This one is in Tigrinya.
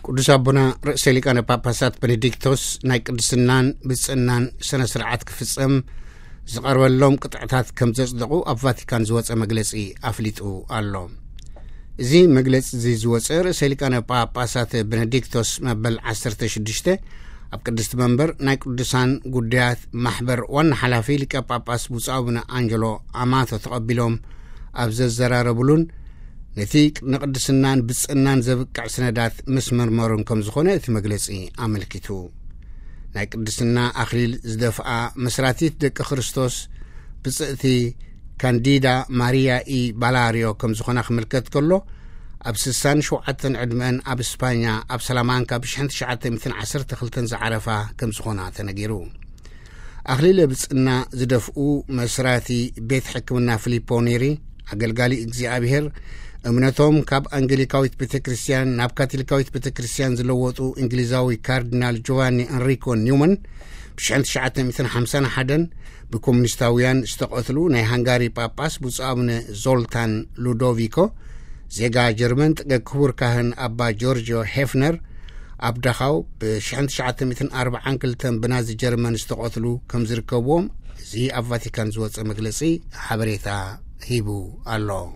ቅዱስ ኣቦና ርእሰ ሊቃነ ጳጳሳት ቤኔዲክቶስ ናይ ቅድስናን ብጽእናን ስነ ስርዓት ክፍጸም ዝቐርበሎም ቅጥዕታት ከም ዘጽደቑ ኣብ ቫቲካን ዝወጸ መግለጺ ኣፍሊጡ ኣሎ። እዚ መግለጺ እዚ ዝወጸ ርእሰ ሊቃነ ጳጳሳት ቤኔዲክቶስ መበል ዓሰርተ ሽዱሽተ ኣብ ቅድስቲ መንበር ናይ ቅዱሳን ጉዳያት ማሕበር ዋና ሓላፊ ሊቀ ጳጳስ ብፁዕ ኣቡነ ኣንጀሎ ኣማቶ ተቐቢሎም ኣብ ዘዘራረብሉን ነቲ ንቅድስናን ብጽእናን ዘብቅዕ ስነዳት ምስ መርመሩን ከም ዝኾነ እቲ መግለጺ ኣመልኪቱ። ናይ ቅድስና ኣኽሊል ዝደፍኣ መስራቲት ደቂ ክርስቶስ ብጽእቲ ካንዲዳ ማሪያ ኢ ባላሪዮ ከም ዝኾና ክምልከት ከሎ፣ ኣብ ስሳን ሸውዓተን ዕድመን ኣብ ስፓኛ ኣብ ሰላማንካ ብ ሽሕን ትሽዓተ ሚእትን ዓሰርተ ክልተን ዝዓረፋ ከም ዝኾና ተነጊሩ። ኣኽሊለ ብጽና ዝደፍኡ መስራቲ ቤት ሕክምና ፊሊፖ ኔሪ፣ ኣገልጋሊ እግዚኣብሔር፣ እምነቶም ካብ ኣንግሊካዊት ቤተ ክርስቲያን ናብ ካቶሊካዊት ቤተ ክርስቲያን ዝለወጡ እንግሊዛዊ ካርዲናል ጆቫኒ ኤንሪኮ ኒውማን ብ ሽሕን ትሽዓተ ሚእትን ሓምሳን ሓደን ብኮሙኒስታውያን ዝተቐትሉ ናይ ሃንጋሪ ጳጳስ ብፁዕ ኣቡነ ዞልታን ሉዶቪኮ፣ ዜጋ ጀርመን፣ ጥገ ክቡር ካህን ኣባ ጆርጆ ሄፍነር፣ ኣብ ዳኻው ብ ሽሕን ትሽዓተ ሚእትን ኣርባዓን ክልተን ብናዚ ጀርመን ዝተቐትሉ ከም ዝርከብዎም እዚ ኣብ ቫቲካን ዝወጸ መግለጺ ሓበሬታ ሂቡ ኣሎ።